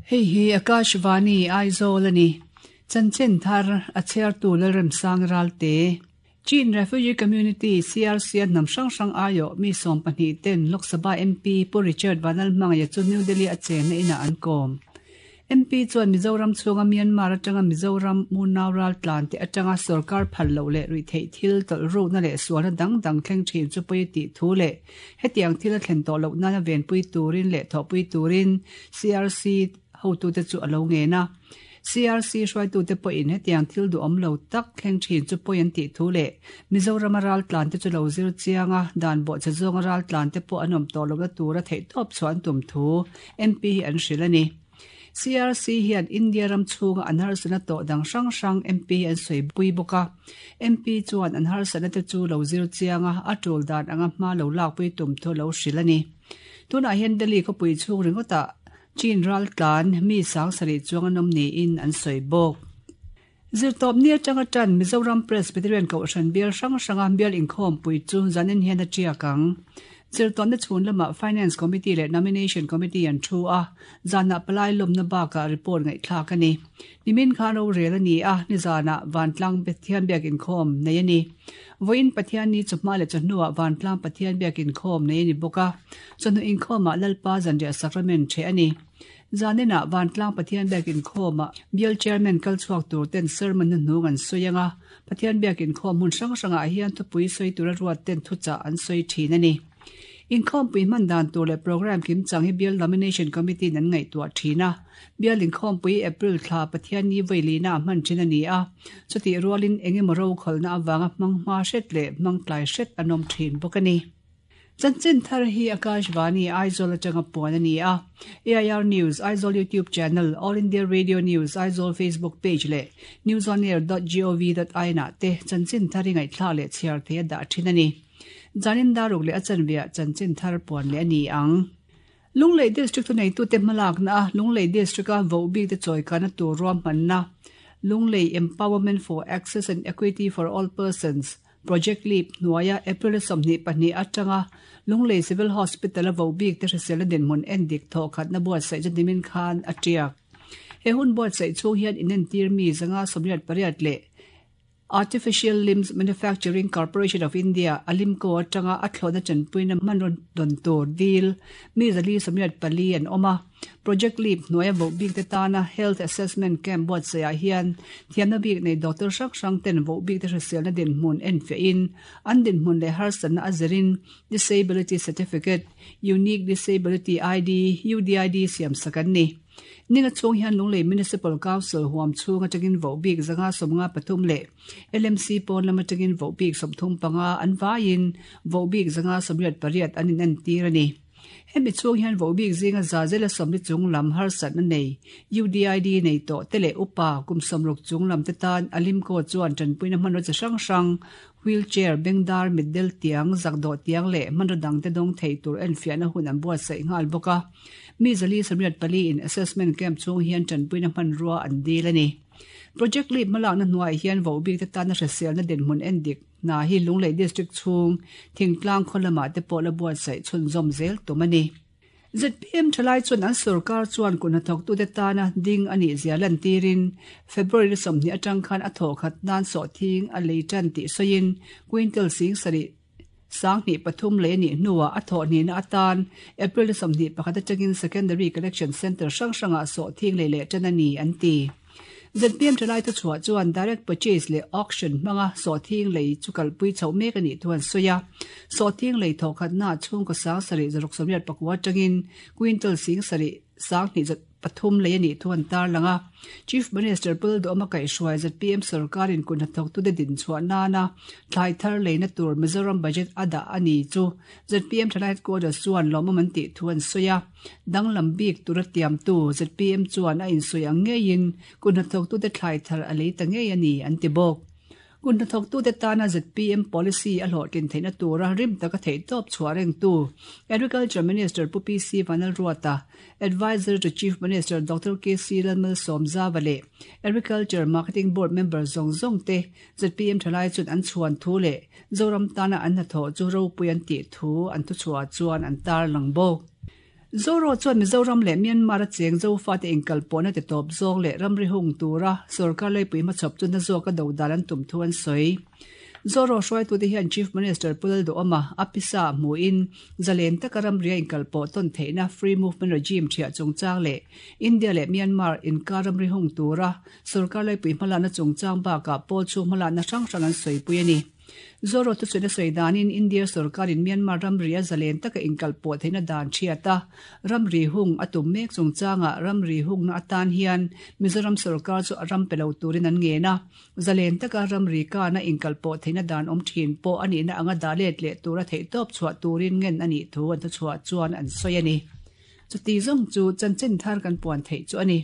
Hei hi Akashvani Aizawl a ni. Chanchin thar a chhiartu Lalremsang Ralte. Chin Refugee Community, CRC, a hnam hrang hrang aiawh mi 12 ten Lok Sabha MP Pu Richard Vanlalhmangaia chu New Delhi a chenna inah an kawm. MP chuan Mizoram chhunga Myanmar atanga Mizoram munau raltlan te atanga sorkar phal loh leh ruihtheih thil tawlh rukna leh sualna dang dang thleng thin chu pawi tih thu leh hetiang thil a thlen tawh loh nana venpui turin leh thawhpui turin CRC hotute chu a lo ngen a. CRC hruaitute pawhin hetiang thil duhawm lo tak thleng thin chu pawi an tih thu leh Mizorama raltlante chu lo zir chiang a, dan bawhchhe zawnga raltlante pawh an awm tawh lohna tura theihtawp chhuah an tum thu MP hi an hrilh a ni. CRC hian India ram chhunga an harsatna tawh dang hrang hrang MP hi an sawi pui bawk a. MP chuan an harsatna te chu lo zir chiang a, a tul dan anga hma lo lakpui tum thu a lo hrilh a ni. Tunah hian Delhi khawpui chhung ringawtah Chin raltlan mi 7000 chuang an awm niin an sawi bawk. Zirtawpni atanga tan Mizoram Presbyterian Kohhran bial hrang hranga bial inkhawmpui chu zanin hian a tiak ang. Zirtawpna chhun lamah Finance Committee leh Nomination Committee an thu a, zanah palai lawmna bakah report ngaihthlak a ni. Nimin khan rorel a ni a, nizanah Vantlang Pathian biak inkhawm nei a ni. Vawiin Pathianni chawhma leh chawhnuah Vantlang Pathian biak inkhawm nei a ni bawk a, chawhnu inkhawmah Lalpa zanriah sacrament ṭheh a ni. Zaninah Vantlang Pathian biak inkhawmah Bial Chairman kal chhuak tur ten sermon hnuhnung an sawi ang a, Pathian biak inkhawm hmun hrang hrangah hian thupui sawi tura ruat ten thuchah an sawi ṭhin a ni. Inkhawmpui hman dan tur leh programme kimchang hi Bial Nomination Committee in an ngaihtuah thin a. Bial inkhawmpui April thla Pathianni vawihlihna a hman thin a ni a, chutih rualin eng emaw rokhawlhna avanga hmang hma hret leh hmang tlai hret an awm thin bawk a ni. Chanchin thar hi Akashvani Aizawl atanga puan a ni a. AIR News Aizawl YouTube channel, All India Radio News Aizawl Facebook page leh newsonair.gov.in ah te chanchin thar hi ngaihthlak leh chhiar thei a dah thin a ni. Zanin daruk leh a chanveah chanchin thar puan leh a ni ang. Lunglei District thuneitute hmalakna a Lunglei District-a vohbikte chawikana tur ruahmanna Lunglei Empowerment for Access and Equity for All Persons Project Leap hnuaia April 22 atanga Lunglei Civil Hospital-a vohbikte hriselna dinhmun endik thawhkhatna buatsaih chu nimin khan a tiak. He hun buatsaih chhung hian inentir mi 188 leh Artificial Limbs Manufacturing Corporation of India, Alimco, atanga a thlawhna chanpuina hmanraw dawn tur dil mi 484 an awm a. Project Leap hnuaia voh bikte tana Health Assessment Camp buatsaihah hian thiamna bik nei doctor hrang hrang ten voh bikte hriselna dinhmun enfiahin an dinhmun leh harsatna a zirin Disability Certificate, Unique Disability ID, UDID, siamsak an ni. Ninga chhung hian Lunglei Municipal Council huam chhung atangin voh bik 153 leh LMC pawn lam atangin voh bik 35 an vaiin voh bik 188 an inentir a ni. Hemi chhung hian voh bik zinga za zela sawmli chung lam harsatna nei UDID nei tawh te leh upa kum 60 chung lam te tan Alimco chuan tanpuina hmanraw chi hrang hrang wheelchair, bengdar, mitdel tiang, zakdawh tiang leh hmanraw dangte dawng thei tur enfiahna hun an buatsaih nghal bawk a. Mi 484 in assessment camp chhung hian tanpuina hmanrua an dil a ni. Project Leap hmalakna hnuaiah hian vohbikte tana hriselna dinhmun endik hna hi Lunglei District chhung thingtlang khaw lamah te pawh la buatsaih chhunzawm zel tum a ni. ZPM thalai chuan an sorkar chuan kut hnathawktute tana ding a nih zia lantirin February 20 atang khan a thawhkhat nan sawhthing a lei tan tih sawiin quintal 70 23 lei a nih hnuah a thawh hnihna atan April 21 atangin Secondary Collection Centre hrang hrangah sawhthing lei leh tan a ni an ti. ZPM thalai thuchhuah chuan direct purchase leh auction hmanga sawhthing lei chu kalpui chhoh mek a nih thu an sawi a. Sawhthing lei thawhkhatna chhungkaw 7689 atangin quintal 7 3 lei a nih thu an tarlang a. Chief Minister Pu Duhawma kaihhruai ZPM sorkarin kut hnathawktute dinchhuah nana thlai thar leina tur Mizoram budget a dah a ni chu ZPM thalai headquarters chuan lawmawm an tih thu an sawi a. Danglam bik tura tiamtu ZPM chuan a insawi ang ngeiin kut hnathawktute thlai thar a lei ta ngei a ni an ti bawk. Kut hnathawktute tana ZPM policy a hlawhtlin theihna tura rim taka theihtawp chhuah rengtu Agriculture Minister Pu PC Vanlalruata, Adviser to Chief Minister Doctor KC Lalmalsawmzava leh Agriculture Marketing Board member zawng zawng te ZPM thalai chuan an chhuan thu leh Zoram tana an hnathawh chu ropui an tih thu an thuchhuah chuan an tarlang bawk. Zoro chuan Mizoram leh Myanmar a cheng Zofate inkalpawhna ti tawp zawng leh ramri hung tura sorkar leipui hmachhawp chu na zawka do dan an tum thu an sawi. Zoro hruaitute hian Chief Minister Pu Lalduhawma a pisa hmuhin zalen taka ramria inkalpawh tawn theihna Free Movement Regime thiah chungchang leh India leh Myanmar inkar ramri hung tura sorkar leipui hmalakna chungchang bakah pawl chhung hmalakna hrang hrang an sawipui a ni. Zoro thuchhuina sawi danin India sorkarin Myanmar ramri a zalen taka inkalpawh theihna dan thiat a, ramri hung a tum mek chungchangah ramri hungna atan hian Mizoram sorkar chu a ram pe lo turin an ngen a, zalen taka ramri kana inkalpawh theihna dan awm thin pawh a nihna anga dah let leh tura theihtawp chhuah turin ngen a nih thu an thuchhuah chuan an sawi a ni. Chuti zawng chu chanchin thar kan puan theih chu a ni.